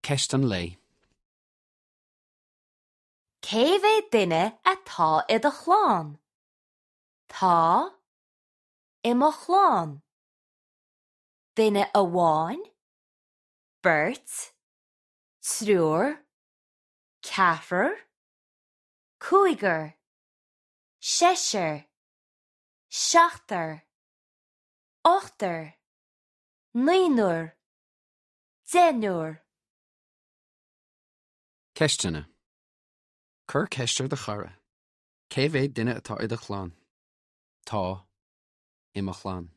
Ceist an lae. Cé mhéad duine atá i do chlann? Tá. I mo chlann. Duine amháin, beirt, triúr, ceathrar, cúigear, seisear, seachtar, ochtar, naonúr, deichniúr. Ceisteanna. Cuir ceist ar do chara. Cé mhéad duine atá i do chlann? Tá. I mo chlann.